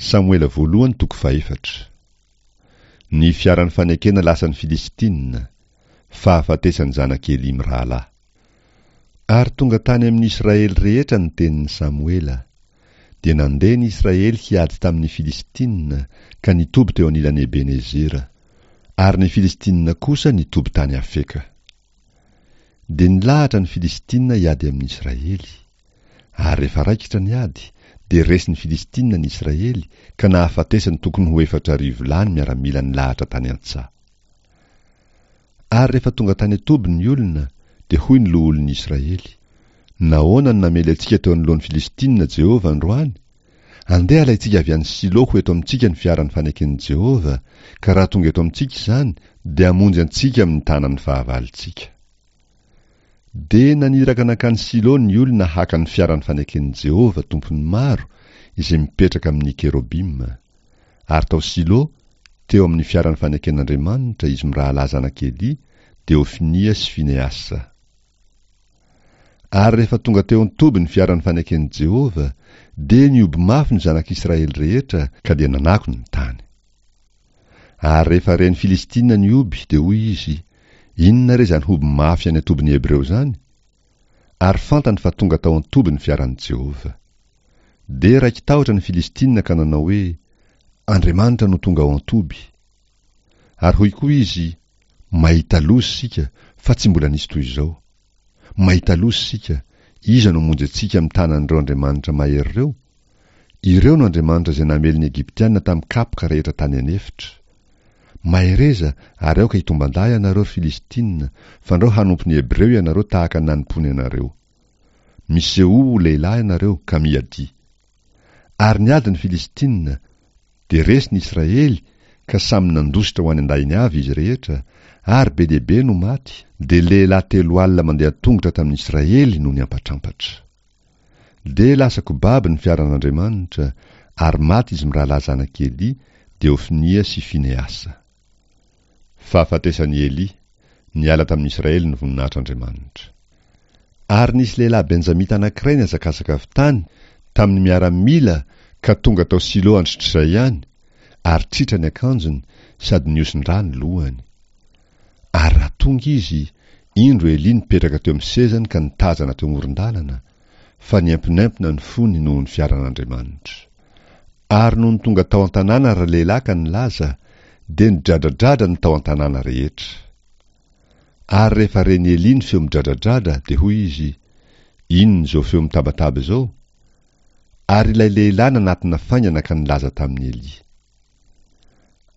Samoela voalohany toko fahefatra. Ny fiaran'ny fanekena lasan'ny Filistina, fahafatesan'ny zanak'i Elỳ mirahalahy. Ary tonga tany amin'ny Israely rehetra ny tenin'i Samoela. Dia nandeha ny Israely hiady tamin'ny Filistina, ka nitoby teo anilan'i Ebenezera. Ary ny Filistina kosa nitoby tany Afeka. Dia nilahatra ny Filistina hiady amin'ny Israely. Ary rehefa raikitra ny ady, dia resin'ny Filistina ny Israely, ka nahafatesany tokony ho 4000 lahy ny miaramila nilahatra tany an-tsaha. Ary rehefa tonga tany an-toby ny olona, dia hoy ny loholon'ny Israely, Nahoana no namely antsika teo anoloan'ny Filistina Jehovah androany? Andeha halaintsika avy any Silo ho eto amintsika ny fiaran'ny faneken'i Jehovah, ka raha tonga eto amintsika izany, dia hamonjy antsika amin'ny tanan'ny fahavalontsika. Dia naniraka nankany Silo ny olona haka ny fiaran'ny faneken'i Jehovah, Tompon'ny maro, izay mipetraka amin'ny kerobima. Ary tao Silo, teo amin'ny fiaran'ny faneken'Andriamanitra, izy mirahalahy zanak'i Elia, dia Hofinia sy Finehasa. Ary rehefa tonga teo an-toby ny fiaran'ny faneken'i Jehovah, dia nihoby mafy ny zanak'Israely rehetra, ka dia nanako ny tany. Ary rehefa ren'ny Filistina ny hoby, dia hoy izy, Inona re izany hoby mafy any an-tobin'ny Hebreo izany? Ary fantany fa tonga tao an-toby ny fiaran'i Jehovah. Dia raiki-tahotra ny Filistina ka nanao hoe, Andriamanitra no tonga ao an-toby. Ary hoy koa izy, Mahita loza isika, fa tsy mbola nisy toy izao. Mahita loza isika, iza no hamonjy antsika amin'ny tanan'ireo andriamanitra mahery ireo? Ireo no andriamanitra izay namely ny Egyptiana tamin'ny kapoka rehetra tany an'efitra. Mahereza ary aoka hitomban-dahy ianareo, ry Filistina, fandrao hanompo ny Hebreo ianareo tahaka ny nanompoany anareo. Misehoa ho lehilahy ianareo, ka miadia. Ary niady ny Filistina, dia resy ny Israely, ka samy nandositra ho any an-dahiny avy izy rehetra, ary be dia be no maty, dia lehilahy 40 mandeha an-tongotra tamin'ny Israely no niampatrampatra. Dia lasa kobabo ny fiaran'Andriamanitra, ary maty izy mirahalahy zanak'i Elia, dia Hofinia sy Finehasa. Fahafatesan'i Elia, niala tamin'ny Israely ny voninahitr'Andriamanitra. Ary nisy lehilahy Benjamita anankiray nihazakazaka avy tany tamin'ny miaramila ka tonga tao Silo androtr'izay ihany, ary tritra ny akanjony sady nihosin-drà ny lohany. Ary raha tonga izy, indro Elia nipetraka teo amin'ny sezany ka nitazana teo amoron-dalana, fa niemponempona ny fony noho ny fiaran'Andriamanitra. Ary nony tonga tao an-tanàna ralehilahy ka nilaza, dia nidradradradra ny tao an-tanàna rehetra. Ary rehefa ren'i Elia ny feo midradradradra, dia hoy izy, Inona izao feo mitabataba izao? Ary ilay lehilahy nanatona faingana ka nilaza tamin'i Elia.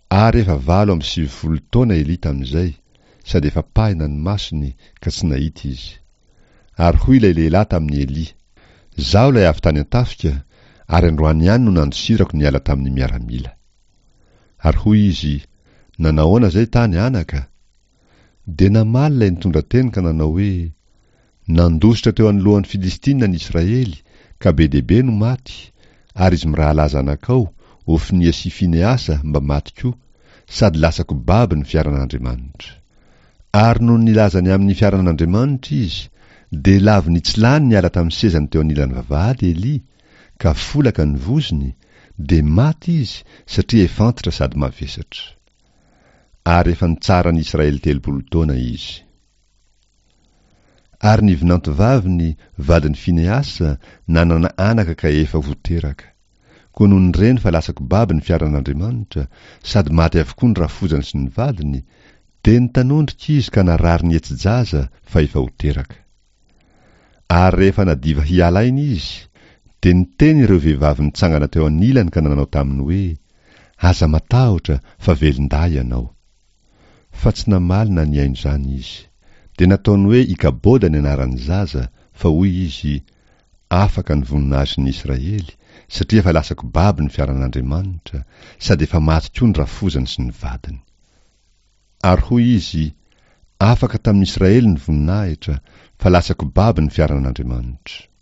Ary efa 98 taona Elia tamin'izay, sady efa pahina ny masony, ka tsy nahita izy. Ary hoy ilay lehilahy tamin'i Elia, Izaho ilay avy tany an-tafika, ary androany ihany no nandosirako niala tamin'ny miaramila. Ary hoy izy, Nanahoana izay tany, anaka? Dia namaly ilay nitondra teny ka nanao hoe, Nandositra teo anoloan'ny Filistina ny Israely, ka be dia be no maty, ary izy mirahalahy zanakao, Hofinia sy Finehasa, mba maty koa, sady lasa-ko babo ny fiaran'Andriamanitra. Ary nony nilaza ny amin'ny fiaran'Andriamanitra izy, dia lavo nitsilany niala tamin'ny sezany teo anilan'ny vavahady Elia, ka folaka ny vozony, dia maty izy, satria efa antitra sady mavesatra. Ary efa nitsara ny Israely 30 taona izy. Ary ny vinantovaviny, vadin'i Finehasa, nanana anaka ka efa ho teraka. Koa nony reny fa lasa-ko babo ny fiaran'Andriamanitra, sady maty avokoa ny rafozany sy ny vadiny, dia nitanondrika izy ka narary nihetsi-jaza fa efa ho teraka. Ary rehefa nadiva hiala aina izy, dia niteny ireo vehivavy nitsangana teo anilany ka nanao taminy hoe, Aza matahotra fa velon-dahy ianao. Fa tsy namaly na nihaino izany izy. Dia nataony hoe Ikaboda ny anaran'ny zaza, fa hoy izy, Afaka ny voninahitry ny Israely, satria efa lasa-ko babo ny fiaran'Andriamanitra, sady efa maty koa ny rafozany sy ny vadiny. Ary hoy izy, Afaka tamin'ny Israely ny voninahitra, fa lasa-ko babo ny fiaran'Andriamanitra.